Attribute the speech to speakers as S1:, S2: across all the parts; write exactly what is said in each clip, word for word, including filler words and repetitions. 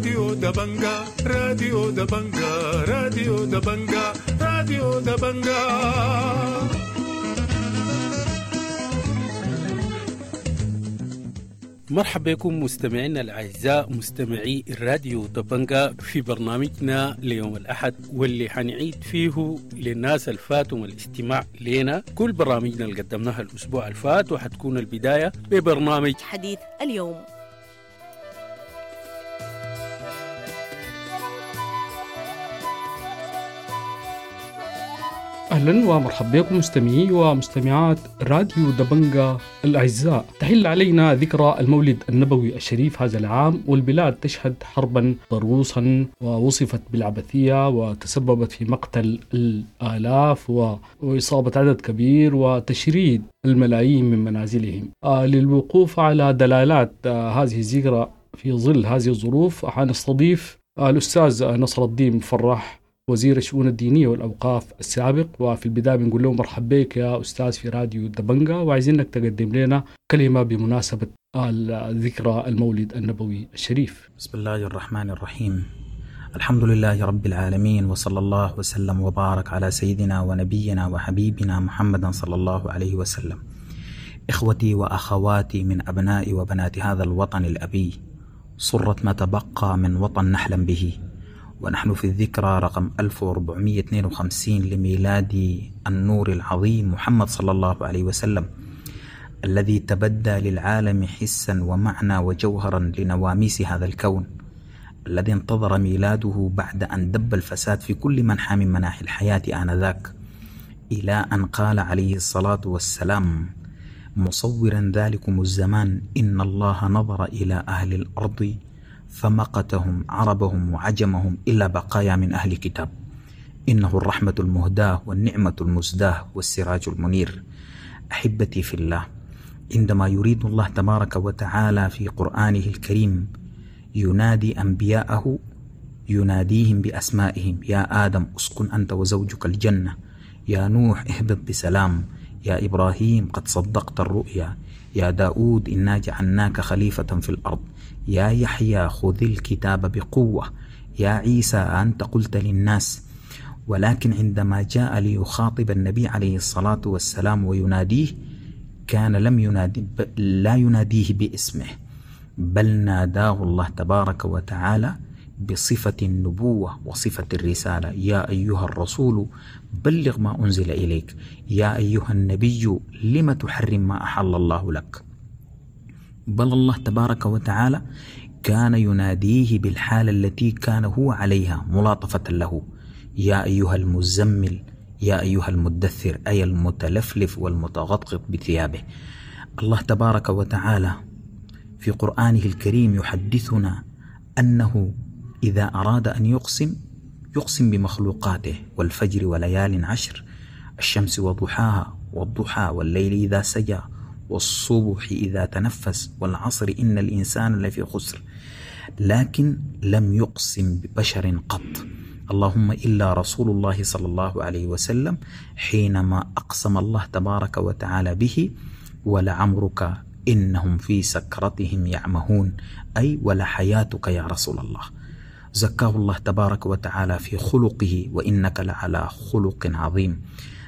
S1: راديو دبنجا، راديو دبنجا، راديو دبنجا، راديو دبنجا.
S2: مرحبا بكم مستمعينا الأعزاء مستمعي الراديو دبنجا في برنامجنا ليوم الأحد، واللي حنعيد فيه للناس الفاتهم الاستماع لنا كل برامجنا اللي قدمناها الأسبوع الفات، وحتكون البداية ببرنامج
S3: حديث اليوم.
S4: أهلا ومرحبا بكم مستمعي ومستمعات راديو دبنجا الأعزاء. تحل علينا ذكرى المولد النبوي الشريف هذا العام، والبلاد تشهد حربا ضروسا ووصفت بالعبثية وتسببت في مقتل الآلاف وإصابة عدد كبير وتشريد الملايين من منازلهم. للوقوف على دلالات هذه الذكرى في ظل هذه الظروف حنستضيف الأستاذ نصر الدين مفرح، وزير الشؤون الدينية والأوقاف السابق. وفي البداية بنقول له مرحبا بك يا أستاذ في راديو دبنجا، وعايزينك تقدم لنا كلمة بمناسبة الذكرى المولد النبوي الشريف.
S5: بسم الله الرحمن الرحيم، الحمد لله رب العالمين، وصلى الله وسلم وبارك على سيدنا ونبينا وحبيبنا محمد صلى الله عليه وسلم. إخوتي وأخواتي من أبناء وبنات هذا الوطن الأبي، صرت ما تبقى من وطن نحلم به، ونحن في الذكرى رقم ألف وأربعمائة واثنين وخمسين لميلاد النور العظيم محمد صلى الله عليه وسلم، الذي تبدى للعالم حسا ومعنى وجوهرا لنواميس هذا الكون، الذي انتظر ميلاده بعد أن دب الفساد في كل منحى من مناحي الحياة آنذاك، إلى أن قال عليه الصلاة والسلام مصورا ذلكم الزمان: إن الله نظر إلى أهل الأرض فمقتهم عربهم وعجمهم إلا بقايا من أهل كتاب، إنه الرحمة المهداة والنعمة المزداة والسراج المنير. أحبتي في الله، عندما يريد الله تبارك وتعالى في قرآنه الكريم ينادي أنبياءه، يناديهم بأسمائهم: يا آدم أسكن أنت وزوجك الجنة، يا نوح اهبط بسلام، يا إبراهيم قد صدقت الرؤيا، يا داود إنا جعلناك خليفة في الأرض، يا يحيى خذ الكتاب بقوة، يا عيسى أنت قلت للناس. ولكن عندما جاء ليخاطب النبي عليه الصلاة والسلام ويناديه، كان لم ينادي لا يناديه باسمه، بل ناداه الله تبارك وتعالى بصفة النبوة وصفة الرسالة: يا أيها الرسول بلغ ما أنزل إليك، يا أيها النبي لم تحرم ما أحل الله لك. بل الله تبارك وتعالى كان يناديه بالحالة التي كان هو عليها ملاطفة له: يا أيها المزمل، يا أيها المدثر، أي المتلفلف والمتغطغط بثيابه. الله تبارك وتعالى في قرآنه الكريم يحدثنا أنه إذا أراد أن يقسم يقسم بمخلوقاته: والفجر وليال عشر، الشمس وضحاها، والضحى والليل إذا سجى، والصبح إذا تنفس، والعصر إن الإنسان لفي خسر. لكن لم يقسم ببشر قط، اللهم إلا رسول الله صلى الله عليه وسلم حينما أقسم الله تبارك وتعالى به: ولعمرك إنهم في سكرتهم يعمهون، أي ولحياتك يا رسول الله. زكاه الله تبارك وتعالى في خلقه: وإنك لعلى خلق عظيم.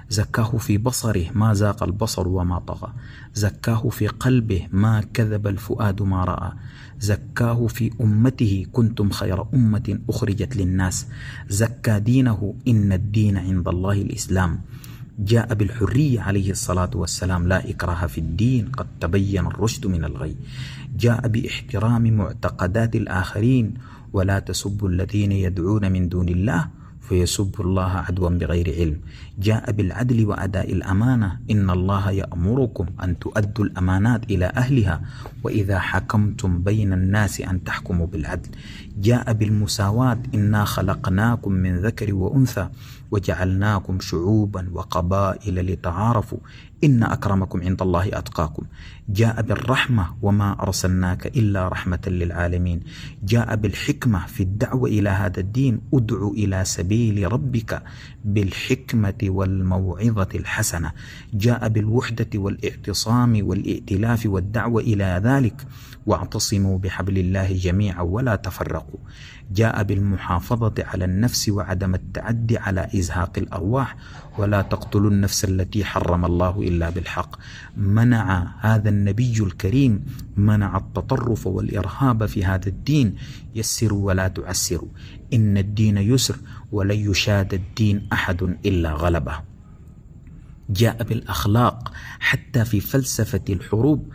S5: زكاه في بصره: ما زاق البصر وما طغى. زكاه في قلبه: ما كذب الفؤاد ما رأى. زكاه في أمته: كنتم خير أمة أخرجت للناس. زكى دينه: إن الدين عند الله الإسلام. جاء بالحرية عليه الصلاة والسلام: لا إكراه في الدين، قد تبين الرشد من الغي. جاء باحترام معتقدات الآخرين: ولا تسبوا الذين يدعون من دون الله فيسبوا الله عدوا بغير علم. جاء بالعدل وأداء الأمانة: إن الله يأمركم أن تؤدوا الأمانات إلى أهلها وإذا حكمتم بين الناس أن تحكموا بالعدل. جاء بالمساواة: إنا خلقناكم من ذكر وأنثى وجعلناكم شعوبا وقبائل لتعارفوا إن أكرمكم عند الله أتقاكم. جاء بالرحمة وما أرسلناك إلا رحمة للعالمين. جاء بالحكمة في الدعوة إلى هذا الدين، ادع إلى سبيل ربك بالحكمة والموعظة الحسنة. جاء بالوحدة والاعتصام والائتلاف والدعوة إلى ذلك، واعتصموا بحبل الله جميعا ولا تفرقوا. جاء بالمحافظة على النفس وعدم التعدي على إزهاق الأرواح، ولا تقتلوا النفس التي حرم الله إلا بالحق. منع هذا النبي الكريم، منع التطرف والإرهاب في هذا الدين. يسروا ولا تعسروا، إن الدين يسر ولن يشاد الدين أحد إلا غلبه. جاء بالأخلاق حتى في فلسفة الحروب،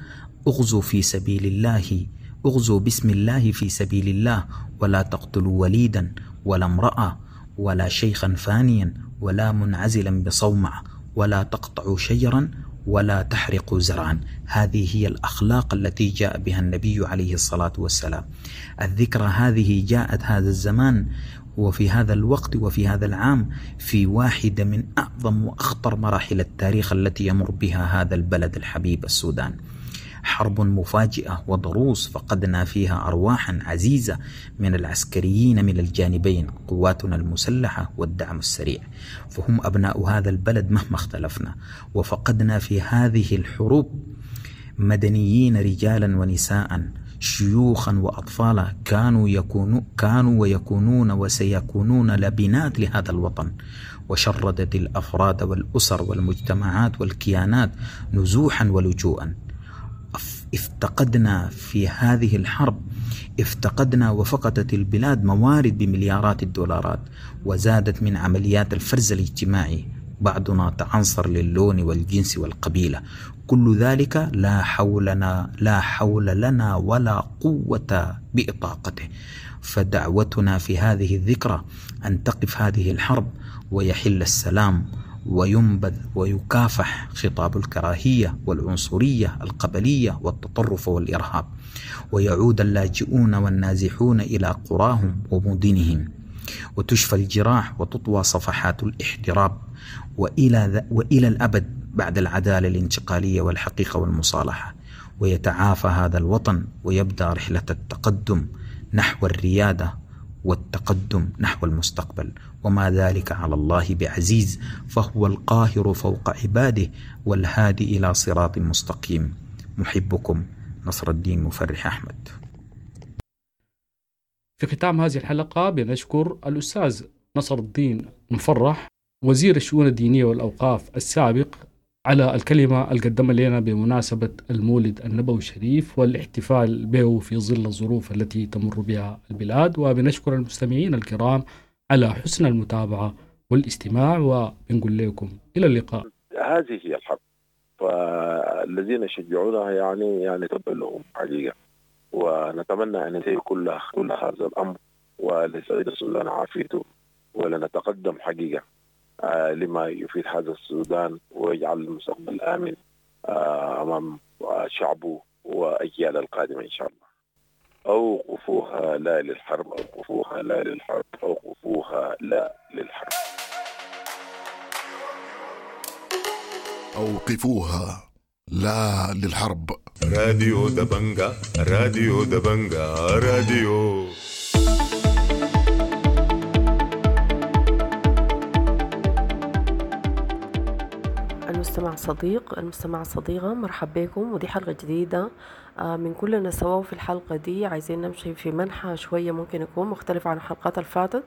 S5: اغزوا في سبيل الله، اغزوا باسم الله في سبيل الله، ولا تقتلوا وليدا ولا امرأة ولا شيخا فانيا ولا منعزلا بصومعة، ولا تقطعوا شجرا ولا تحرقوا زرعا. هذه هي الأخلاق التي جاء بها النبي عليه الصلاة والسلام. الذكرى هذه جاءت هذا الزمان وفي هذا الوقت وفي هذا العام في واحدة من أعظم وأخطر مراحل التاريخ التي يمر بها هذا البلد الحبيب السودان. حرب مفاجئة وضروس فقدنا فيها أرواحا عزيزة من العسكريين من الجانبين، قواتنا المسلحة والدعم السريع، فهم أبناء هذا البلد مهما اختلفنا. وفقدنا في هذه الحروب مدنيين رجالا ونساء، شيوخا وأطفالا، كانوا يكونوا كانوا ويكونون وسيكونون لبنات لهذا الوطن. وشردت الأفراد والأسر والمجتمعات والكيانات نزوحا ولجوءا. افتقدنا في هذه الحرب، افتقدنا وفقدت البلاد موارد بمليارات الدولارات، وزادت من عمليات الفرز الاجتماعي، بعضنا تعنصر للون والجنس والقبيلة. كل ذلك لا حولنا لا حول لنا ولا قوة بإطاقته. فدعوتنا في هذه الذكرى أن تقف هذه الحرب ويحل السلام وينبذ ويكافح خطاب الكراهية والعنصرية القبلية والتطرف والإرهاب، ويعود اللاجئون والنازحون إلى قراهم ومدنهم، وتشفى الجراح وتطوى صفحات الاحتراب، وإلى, وإلى الأبد بعد العدالة الانتقالية والحقيقة والمصالحة، ويتعافى هذا الوطن ويبدأ رحلة التقدم نحو الريادة والتقدم نحو المستقبل. وما ذلك على الله بعزيز، فهو القاهر فوق عباده والهادي إلى صراط مستقيم. محبكم نصر الدين مفرح أحمد.
S4: في ختام هذه الحلقة بنشكر الأستاذ نصر الدين مفرح وزير الشؤون الدينية والأوقاف السابق على الكلمة القدمة لنا بمناسبة المولد النبوي الشريف والاحتفال به في ظل الظروف التي تمر بها البلاد. وبنشكر المستمعين الكرام على حسن المتابعة والاستماع، وبنقول لكم إلى اللقاء.
S3: هذه هي الحرب، فالذين يشجعونها يعني يعني تبا لهم حقيقة، ونتمنى أن ينتهي كل كل هذا الأمر ولسعيد السودان عافيته، ولنتقدم حقيقة لما يفيد هذا السودان ويجعل المستقبل آمن أمام شعبه وأجيال القادمة إن شاء الله. أوقفوها لا للحرب، أوقفوها لا للحرب، أوقفوها لا للحرب.
S6: أوقفوها لا للحرب.
S1: راديو دبنجا، راديو دبنجا، راديو.
S7: المستمع صديق، المستمع صديقة، مرحبا بكم. ودي حلقة جديدة من كلنا سوا. في الحلقة دي عايزين نمشي في منحى شوية ممكن يكون مختلف عن الحلقات الفاتت،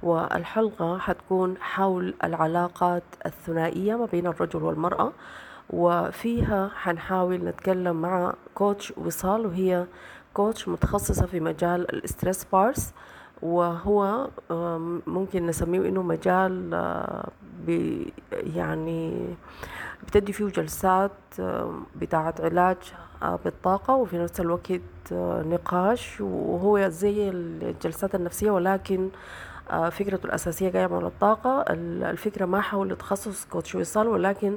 S7: والحلقة حتكون حول العلاقات الثنائية ما بين الرجل والمرأة، وفيها حنحاول نتكلم مع coach وصال، وهي coach متخصصة في مجال ال stress bars، وهو ممكن نسميه إنه مجال بي يعني بتدي فيه جلسات بتاعة علاج بالطاقة، وفي نفس الوقت نقاش، وهو زي الجلسات النفسية ولكن فكرته الأساسية جاية من الطاقة. الفكرة ما حول تخصص coach وصال، ولكن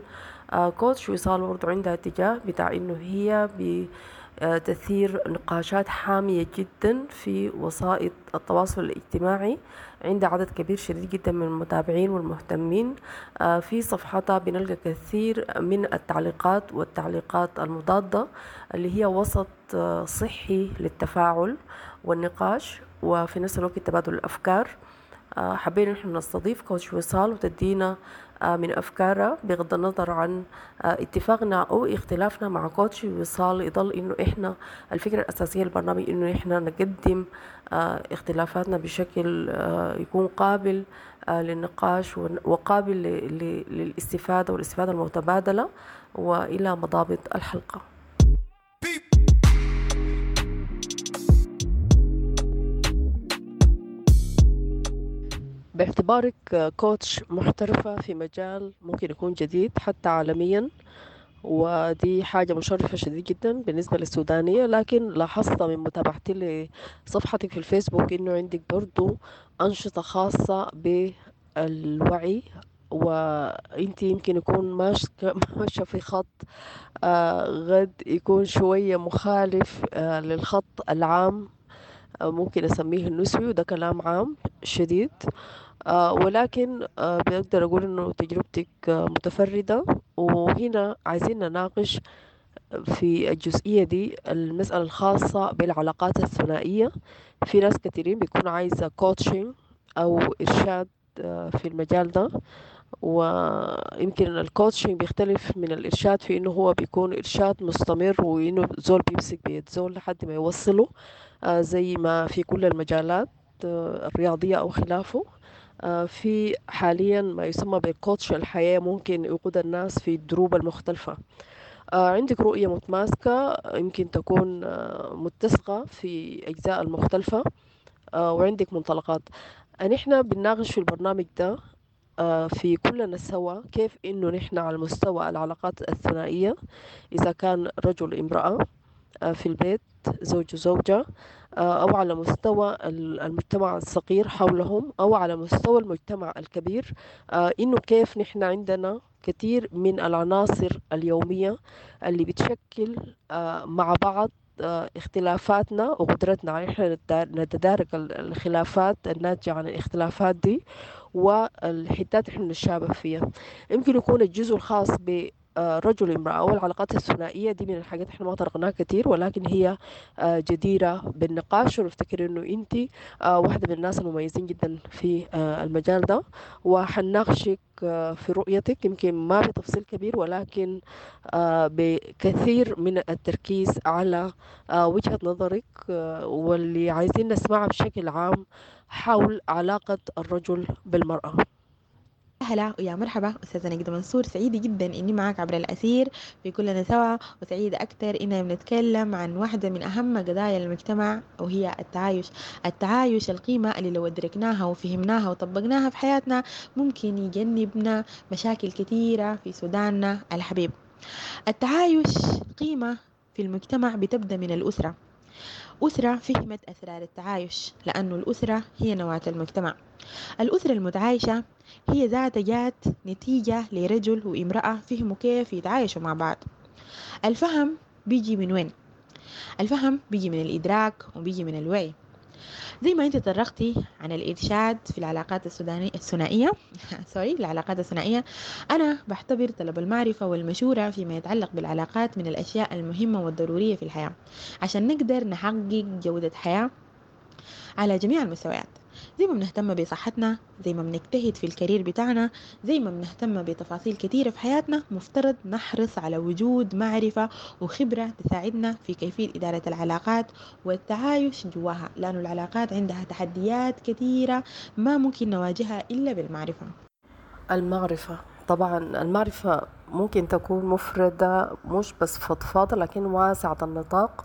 S7: coach وصال برضو عندها اتجاه بتاع إنه هي بتثير نقاشات حامية جدا في وسائط التواصل الاجتماعي. عندها عدد كبير شديد جدا من المتابعين والمهتمين. في صفحتها بنلقى كثير من التعليقات والتعليقات المضادة اللي هي وسط صحي للتفاعل والنقاش وفي نفس الوقت تبادل الأفكار. حبينا نحن نستضيف كوتش وصال وتدينا من أفكارها بغض النظر عن اتفاقنا أو اختلافنا مع كوتش وصال. يضل إنه إحنا الفكرة الأساسية للبرنامج إنه إحنا نقدم اختلافاتنا بشكل يكون قابل للنقاش وقابل للاستفادة والاستفادة المتبادلة. وإلى مضابط الحلقة. باعتبارك كوتش محترفة في مجال ممكن يكون جديد حتى عالميا، ودي حاجة مشرفة شديد جدا بالنسبة للسودانية، لكن لاحظت من متابعتي لصفحتك في الفيسبوك إنه عندك برضو أنشطة خاصة بالوعي، وانت يمكن يكون ماشية في خط غد يكون شوية مخالف للخط العام، ممكن أسميه النسوي، وده كلام عام شديد، ولكن بقدر أقول إنه تجربتك متفردة. وهنا عايزين نناقش في الجزئية دي المسألة الخاصة بالعلاقات الثنائية. في ناس كثيرين بيكون عايزة coaching أو إرشاد في المجال ده، ويمكن ال coaching بيختلف من الإرشاد في إنه هو بيكون إرشاد مستمر، وإنه زول بيمسك بيد زول لحد ما يوصله، زي ما في كل المجالات الرياضية أو خلافه. في حاليا ما يسمى بال coach الحياة، ممكن يقود الناس في الدروب المختلفة. عندك رؤية متماسكة يمكن تكون متسقة في أجزاء المختلفة، وعندك منطلقات. نحن بنناقش في البرنامج ده في كلنا سوا كيف إنه نحن على مستوى العلاقات الثنائية، إذا كان رجل امرأة في البيت، زوج وزوجة، أو على مستوى المجتمع الصغير حولهم، أو على مستوى المجتمع الكبير، إنه كيف نحن عندنا كثير من العناصر اليومية اللي بتشكل مع بعض اختلافاتنا وقدرتنا على إحنا نتدارك الخلافات الناتجة عن الاختلافات دي والحتات إحنا نتشابه فيها. يمكن يكون الجزء الخاص ب رجل امرأة أو العلاقات الثنائية دي من الحاجات احنا ما طرقناها كتير، ولكن هي جديرة بالنقاش، ونفتكر انه انت واحدة من الناس المميزين جدا في المجال ده، وحنناقشك في رؤيتك يمكن ما بتفصيل كبير، ولكن بكثير من التركيز على وجهة نظرك واللي عايزين نسمعها بشكل عام حول علاقة الرجل بالمرأة.
S8: هلا ويا مرحبا أستاذة نجدة منصور، سعيدة جدا إني معك عبر الأثير في كلنا سوا، وسعيدة أكثر إننا بنتكلم عن واحدة من أهم قضايا المجتمع وهي التعايش. التعايش القيمة اللي لو أدركناها وفهمناها وطبقناها في حياتنا ممكن يجنبنا مشاكل كثيرة في سوداننا الحبيب. التعايش قيمة في المجتمع بتبدأ من الأسرة. أسرة فهمت أسرار التعايش، لأنه الأسرة هي نواة المجتمع. الأسرة المتعايشة هي ذات جات نتيجة لرجل وامرأة فهموا كيف يتعايشوا مع بعض. الفهم بيجي من وين؟ الفهم بيجي من الإدراك وبيجي من الوعي. زي ما انت تطرقتي عن الإرشاد في العلاقات السودانية الثنائية سوري العلاقات الثنائية، أنا بعتبر طلب المعرفة والمشورة فيما يتعلق بالعلاقات من الأشياء المهمة والضرورية في الحياة عشان نقدر نحقق جودة حياة على جميع المستويات. زي ما بنهتم بصحتنا، زي ما بنجتهد في الكارير بتاعنا، زي ما بنهتم بتفاصيل كثيرة في حياتنا، مفترض نحرص على وجود معرفة وخبرة تساعدنا في كيفية إدارة العلاقات والتعايش جواها، لأن العلاقات عندها تحديات كثيرة ما ممكن نواجهها إلا بالمعرفة.
S7: المعرفة طبعا المعرفة ممكن تكون مفردة مش بس فضفاضة لكن واسعة النطاق.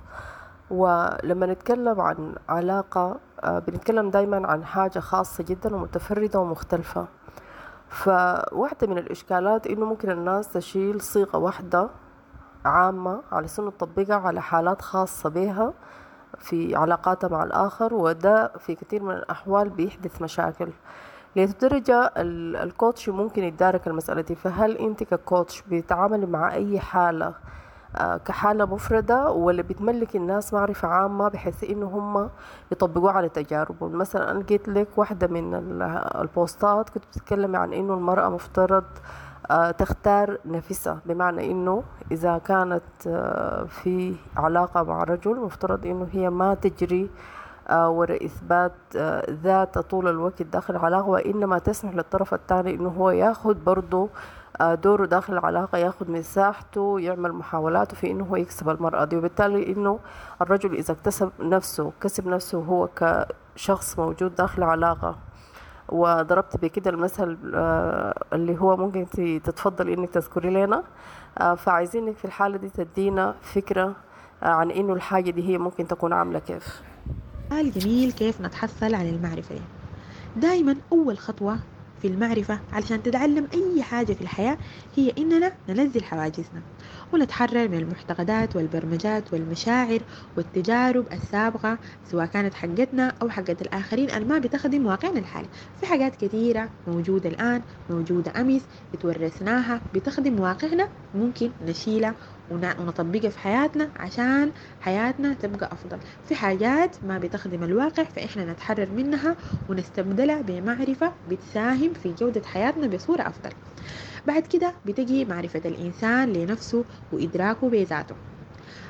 S7: ولما نتكلم عن علاقة بنتكلم دايما عن حاجة خاصة جدا ومتفردة ومختلفة. فواحدة من الإشكالات إنه ممكن الناس تشيل صيغة واحدة عامة على سنة تطبيقها على حالات خاصة بها في علاقاتها مع الآخر، وده في كثير من الأحوال بيحدث مشاكل. لدرجة ال coach ممكن يتدارك المسألة دي. فهل أنت ك coach بتتعاملي مع أي حالة كحالة مفردة، ولا بتملك الناس معرفة عامة بحيث إنه هم يطبقوها على تجاربهم؟ مثلا أنا لقيت لك واحدة من البوستات كنت بتتكلمي عن إنه المرأة مفترض تختار نفسها، بمعنى إنه إذا كانت في علاقة مع رجل مفترض إنه هي ما تجري وراء إثبات ذاتها طول الوقت داخل العلاقة، وإنما تسمح للطرف الثاني إنه هو ياخد برضه دوره داخل العلاقة، ياخد مساحته، يعمل محاولاته في إنه هو يكسب المرأة دي. وبالتالي إنه الرجل إذا اكتسب نفسه، كسب نفسه هو كشخص موجود داخل العلاقة، وضربت بكده المثل اللي هو ممكن تتفضل إنك تذكري لنا، فعايزينك في الحالة دي تدينا فكرة عن إنه الحاجة دي هي ممكن تكون عاملة كيف.
S8: سؤال جميل، كيف نتحصل على المعرفة دي؟ دايما أول خطوة في المعرفة علشان تتعلم أي حاجة في الحياة هي إننا ننزل حواجزنا ونتحرر من المعتقدات والبرمجات والمشاعر والتجارب السابقة، سواء كانت حقتنا أو حقت الآخرين اللي ما بتخدم واقعنا الحالي. في حاجات كثيرة موجودة الآن، موجودة أمس، اتورثناها، بتخدم واقعنا، ممكن نشيلها ونطبقها في حياتنا عشان حياتنا تبقى أفضل. في حاجات ما بتخدم الواقع فإحنا نتحرر منها ونستبدلها بمعرفة بتساهم في جودة حياتنا بصورة أفضل. بعد كده بتجي معرفة الإنسان لنفسه وإدراكه بذاته.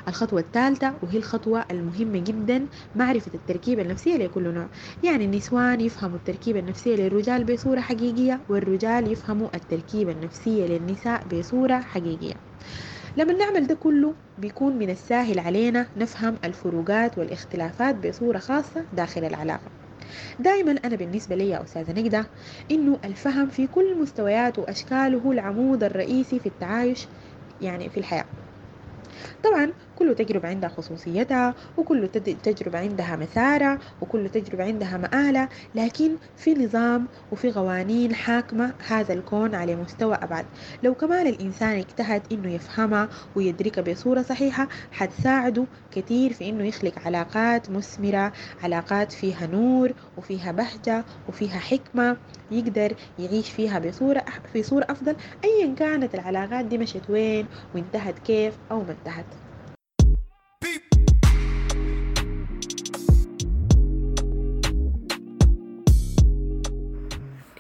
S8: الخطوة الثالثة وهي الخطوة المهمة جدا، معرفة التركيبة النفسية لكل نوع. يعني النسوان يفهموا التركيبة النفسية للرجال بصورة حقيقية، والرجال يفهموا التركيبة النفسية للنساء بصورة حقيقية. لما نعمل ده كله بيكون من السهل علينا نفهم الفروقات والاختلافات بصورة خاصة داخل العلاقة. دايما أنا بالنسبة لي يا أستاذة نجدة إنه الفهم في كل مستوياته وأشكاله هو العمود الرئيسي في التعايش يعني في الحياة. طبعا كل تجربة عندها خصوصيتها، وكل تجربة عندها مسارة، وكل تجربة عندها مآلة، لكن في نظام وفي قوانين حاكمة هذا الكون على مستوى أبعد. لو كمان الإنسان اجتهد إنه يفهمها ويدركها بصورة صحيحة حتساعده كثير في إنه يخلق علاقات مثمرة، علاقات فيها نور وفيها بهجة وفيها حكمة يقدر يعيش فيها بصورة في صورة أفضل، أيا كانت العلاقات دي مشت وين وانتهت كيف أو ما انتهت.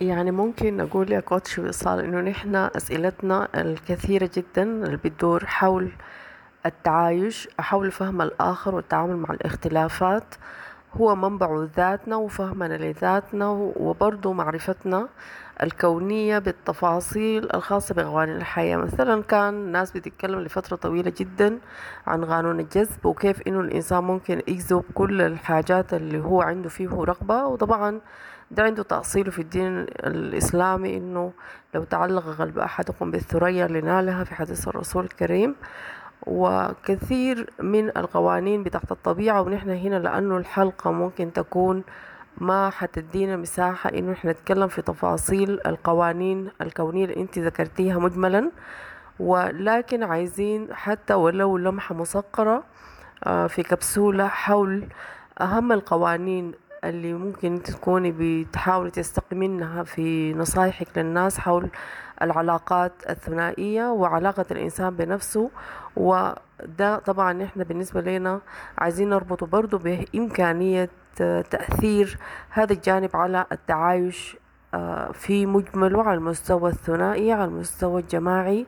S7: يعني ممكن أقول يا كوتش وصال إنه نحن أسئلتنا الكثيرة جدا اللي بتدور حول التعايش، حول فهم الآخر والتعامل مع الاختلافات، هو منبع ذاتنا وفهمنا لذاتنا وبرضو معرفتنا الكونية بالتفاصيل الخاصة بقوانين الحياة. مثلا كان الناس بتتكلم لفترة طويلة جدا عن قانون الجذب وكيف إنه الإنسان ممكن يجذب كل الحاجات اللي هو عنده فيه رغبة، وطبعا ده عنده تأصيله في الدين الإسلامي إنه لو تعلق قلب أحدكم بالثريا لنالها في حديث الرسول الكريم، وكثير من القوانين بتاعت الطبيعة. ونحن هنا لأنه الحلقة ممكن تكون ما حتدينا مساحة إنه إحنا نتكلم في تفاصيل القوانين الكونية اللي أنت ذكرتيها مجملا، ولكن عايزين حتى ولو لمحة مصقرة في كبسولة حول أهم القوانين اللي ممكن تكوني بتحاولي تستقي منها في نصايحك للناس حول العلاقات الثنائية وعلاقة الإنسان بنفسه. وده طبعا نحن بالنسبة لنا عايزين نربطه برضو بإمكانية تأثير هذا الجانب على التعايش في مجمله على المستوى الثنائي، على المستوى الجماعي،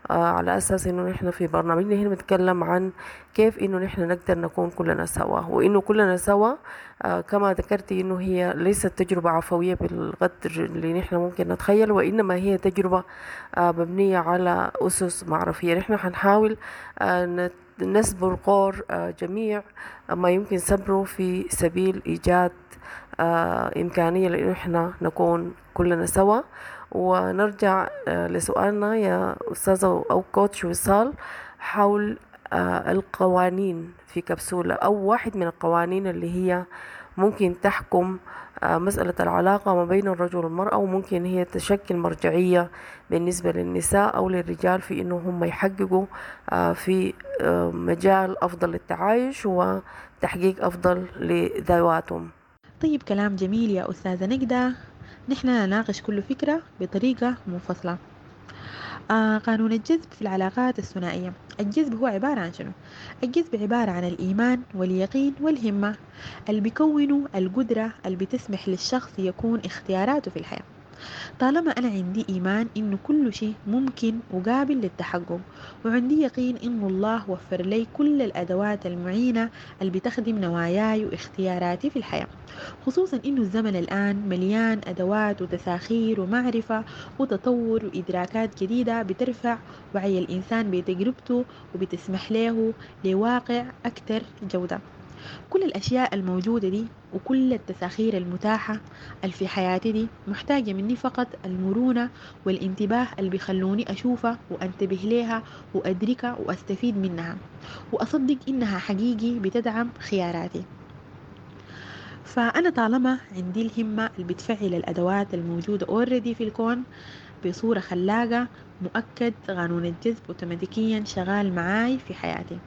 S7: على أساس إنه نحن في برنامجنا هنا بنتكلم عن كيف إنه نحن نقدر نكون كلنا سوا، وإنه كلنا سوا كما ذكرتي إنه هي ليست تجربة عفوية بالقدر اللي نحن ممكن نتخيل، وإنما هي تجربة مبنية على أسس معرفية. نحن حنحاول نسبر قور جميع ما يمكن سبره في سبيل إيجاد إمكانية لإنه نحن نكون كلنا سوا. ونرجع لسؤالنا يا أستاذة أو كوتش وصال حول القوانين في كبسولة، أو واحد من القوانين اللي هي ممكن تحكم مسألة العلاقة ما بين الرجل والمرأة، وممكن هي تشكل مرجعية بالنسبة للنساء أو للرجال في إنه هم يحققوا في مجال أفضل للتعايش وتحقيق أفضل لذواتهم.
S8: طيب، كلام جميل يا أستاذة نجدة. نحن نناقش كل فكرة بطريقة منفصلة. آه قانون الجذب في العلاقات الثنائية. الجذب هو عبارة عن شنو؟ الجذب عبارة عن الإيمان واليقين والهمة اللي بيكونوا القدرة اللي بتسمح للشخص يكون اختياراته في الحياة. طالما أنا عندي إيمان إنه كل شيء ممكن وقابل للتحقق، وعندي يقين إنه الله وفر لي كل الأدوات المعينة اللي بتخدم نواياي واختياراتي في الحياة، خصوصا إنه الزمن الآن مليان أدوات وتساخير ومعرفة وتطور وإدراكات جديدة بترفع وعي الإنسان بتجربته وبتسمح له لواقع أكثر جودة. كل الأشياء الموجودة دي وكل التساخير المتاحة اللي في حياتي دي محتاجة مني فقط المرونة والانتباه اللي بيخلوني أشوفها وأنتبه لها وأدركها وأستفيد منها وأصدق إنها حقيقي بتدعم خياراتي. فأنا طالما عندي الهمة اللي بتفعل الأدوات الموجودة already في الكون بصورة خلاقة، مؤكد قانون الجذب أوتوماتيكيا شغال معاي في حياتي.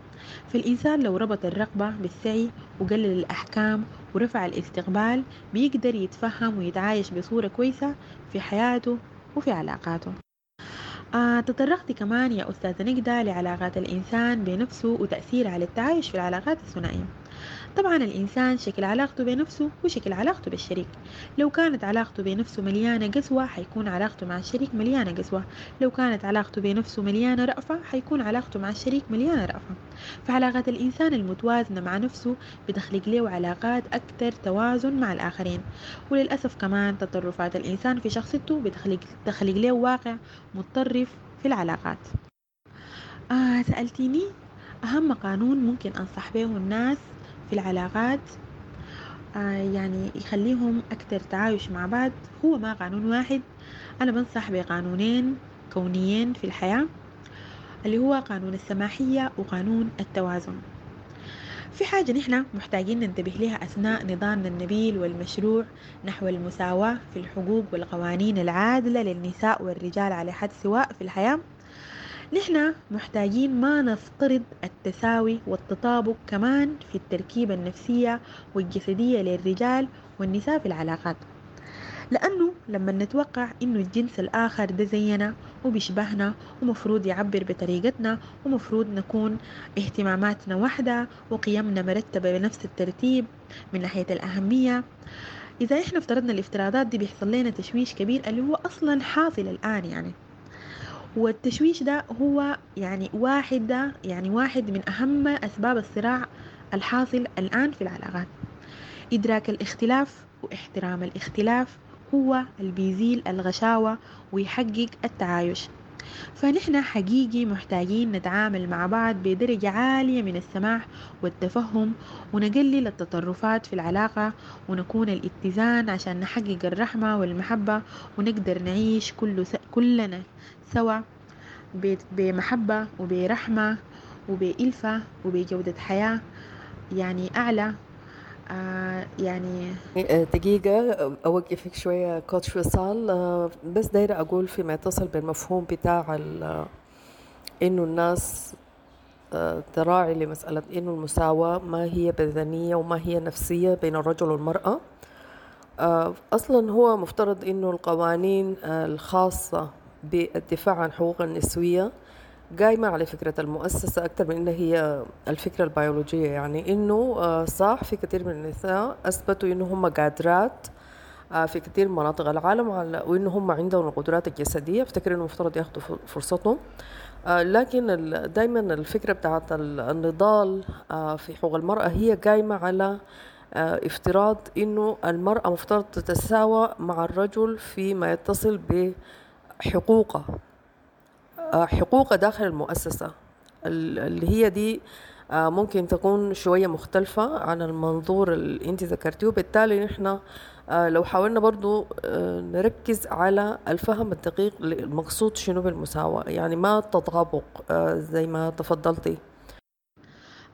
S8: فالإنسان لو ربط الرغبة بالسعي وقلل الأحكام ورفع الاستقبال بيقدر يتفهم ويتعايش بصورة كويسة في حياته وفي علاقاته. آه تطرقت كمان يا أستاذة نجدة لعلاقات الإنسان بنفسه وتأثيره على التعايش في العلاقات الثنائية. طبعا الإنسان شكل علاقته بنفسه وشكل علاقته بالشريك. لو كانت علاقته بنفسه مليانة قسوة حيكون علاقته مع الشريك مليانة قسوة، لو كانت علاقته بنفسه مليانة رأفة حيكون علاقته مع الشريك مليانة رأفة. فعلاقات الإنسان المتوازنة مع نفسه بتخلق له علاقات أكثر توازن مع الآخرين، وللأسف كمان تطرفات الإنسان في شخصيته بتخلق تخلق له واقع متطرف في العلاقات. آه سألتيني أهم قانون ممكن أنصح به الناس في العلاقات آه يعني يخليهم أكثر تعايش مع بعض، هو ما قانون واحد، أنا بنصح بقانونين كونيين في الحياة اللي هو قانون السماحية وقانون التوازن. في حاجة نحن محتاجين ننتبه لها أثناء نضالنا النبيل والمشروع نحو المساواة في الحقوق والقوانين العادلة للنساء والرجال على حد سواء في الحياة. نحن محتاجين ما نفترض التساوي والتطابق كمان في التركيبة النفسية والجسدية للرجال والنساء في العلاقات، لأنه لما نتوقع إنه الجنس الآخر ده زينا وبيشبهنا ومفروض يعبر بطريقتنا ومفروض نكون اهتماماتنا واحدة وقيمنا مرتبة بنفس الترتيب من ناحية الأهمية، إذا إحنا افترضنا الافتراضات دي بيحصل لنا تشويش كبير اللي هو أصلا حاصل الآن يعني. والتشويش ده هو يعني واحد ده يعني واحد من أهم أسباب الصراع الحاصل الآن في العلاقات. إدراك الاختلاف واحترام الاختلاف هو اللي بيزيل الغشاوة ويحقق التعايش. فنحن حقيقي محتاجين نتعامل مع بعض بدرجة عالية من السماح والتفهم، ونقلل التطرفات في العلاقة، ونكون الاتزان عشان نحقق الرحمة والمحبة، ونقدر نعيش كل س... كلنا سوا بمحبة وبرحمة وبإلفة وبجودة حياة يعني أعلى. آه يعني
S7: دقيقة أوقفك شوية كوتش وصال، آه بس دايرة أقول فيما يتصل بالمفهوم بتاع إنه الناس آه تراعي لمسألة إنه المساواة ما هي بدنية وما هي نفسية بين الرجل والمرأة. آه أصلا هو مفترض إنه القوانين آه الخاصة بالدفاع عن حقوق النسوية قايمة على فكرة المؤسسة أكثر من إنها هي الفكرة البيولوجية، يعني إنه صح في كثير من النساء أثبتوا إنه هم قادرات في كثير من مناطق العالم وإنه هم عندهم القدرات الجسدية، افتكر إنه مفترض ياخدوا فرصتهم. لكن دايما الفكرة بتاعت النضال في حقوق المرأة هي قايمة على افتراض إنه المرأة مفترض تتساوى مع الرجل فيما يتصل بحقوقها، حقوق داخل المؤسسة اللي هي دي ممكن تكون شوية مختلفة عن المنظور اللي انت ذكرتيه. وبالتالي نحن لو حاولنا برضو نركز على الفهم الدقيق المقصود شنو بالمساواة، يعني ما التطابق زي ما تفضلتي.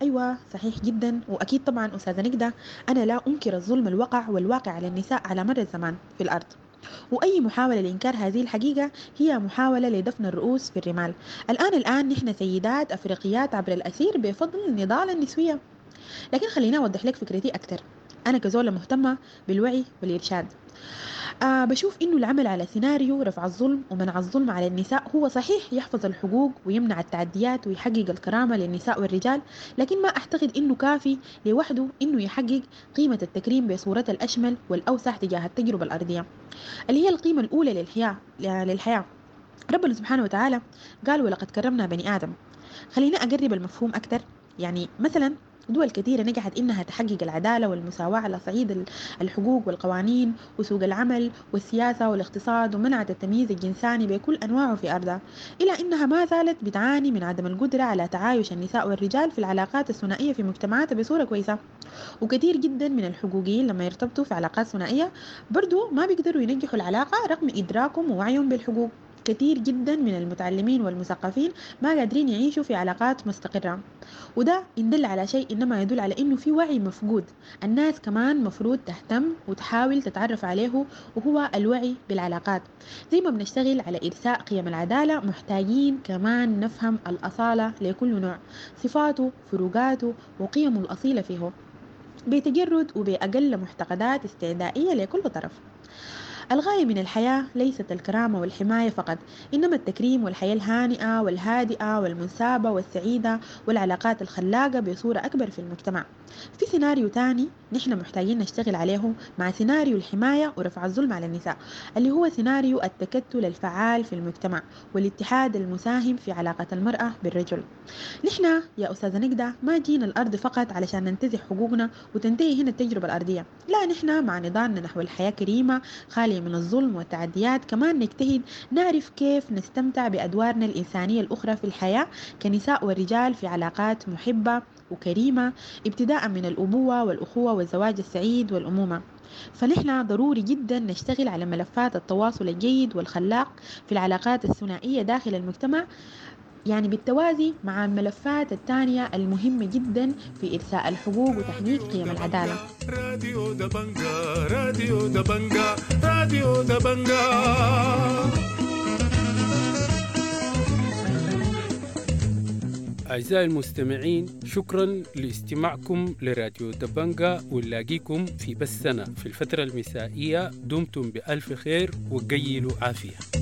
S8: أيوة صحيح جدا، وأكيد طبعا أستاذة نجدة أنا لا أنكر الظلم الوقع والواقع على النساء على مر الزمان في الأرض، وأي محاولة لإنكار هذه الحقيقة هي محاولة لدفن الرؤوس في الرمال. الآن الآن نحن سيدات أفريقيات عبر الأثير بفضل النضال النسوية. لكن خلينا أوضح لك فكرتي أكثر. أنا كزولة مهتمة بالوعي والإرشاد. آه بشوف إنه العمل على سيناريو رفع الظلم ومنع الظلم على النساء هو صحيح يحفظ الحقوق ويمنع التعديات ويحقق الكرامة للنساء والرجال، لكن ما أعتقد إنه كافي لوحده إنه يحقق قيمة التكريم بصورتها الأشمل والأوسع تجاه التجربة الأرضية اللي هي القيمة الأولى للحياة للحياة. ربنا سبحانه وتعالى قال ولقد كرمنا بني آدم. خلينا أقرب المفهوم أكثر. يعني مثلا دول كثيرة نجحت إنها تحقق العدالة والمساواة على صعيد الحقوق والقوانين وسوق العمل والسياسة والاقتصاد، ومنعت التمييز الجنساني بكل أنواعه في أرضها، إلا إنها ما زالت بتعاني من عدم القدرة على تعايش النساء والرجال في العلاقات الثنائية في مجتمعاتها بصورة كويسة. وكثير جدا من الحقوقيين لما يرتبطوا في علاقات ثنائية برضو ما بيقدروا ينجحوا العلاقة رغم إدراكهم ووعيهم بالحقوق. كثير جدا من المتعلمين والمثقفين ما قادرين يعيشوا في علاقات مستقرة، وده إن دل على شيء إنما يدل على إنه في وعي مفقود. الناس كمان مفروض تهتم وتحاول تتعرف عليه، وهو الوعي بالعلاقات. زي ما بنشتغل على إرساء قيم العدالة محتاجين كمان نفهم الأصالة لكل نوع، صفاته، فروقاته، وقيمه الأصيلة فيه، بتجرد وبأقل معتقدات استعدائية لكل طرف. الغاية من الحياة ليست الكرامة والحماية فقط، إنما التكريم والحياة الهانئة والهادئة والمنسابة والسعيدة والعلاقات الخلاقة بصورة أكبر في المجتمع. في سيناريو تاني نحن محتاجين نشتغل عليه مع سيناريو الحماية ورفع الظلم على النساء، اللي هو سيناريو التكتل الفعال في المجتمع والاتحاد المساهم في علاقة المرأة بالرجل. نحن يا أستاذة نجدة ما جينا الأرض فقط علشان ننتزع حقوقنا وتنتهي هنا التجربة الأرضية، لا، نحن مع نضالنا نحو الحياة كريمة خالية من الظلم والتعديات كمان نجتهد نعرف كيف نستمتع بأدوارنا الإنسانية الأخرى في الحياة كنساء والرجال في علاقات محبة وكريمة، ابتداء من الأبوة والأخوة والزواج السعيد والأمومة. فنحن ضروري جدا نشتغل على ملفات التواصل الجيد والخلاق في العلاقات الثنائية داخل المجتمع، يعني بالتوازي مع الملفات الثانية المهمة جدا في إرساء الحقوق وتحقيق قيم العدالة.
S1: راديو دبنجا، راديو دبنجا، راديو دبنجا.
S2: أعزائي المستمعين، شكرا لاستماعكم لراديو دبنجا، ونلاقيكم في بثنا في الفترة المسائية. دمتم بألف خير وقيلوا عافية.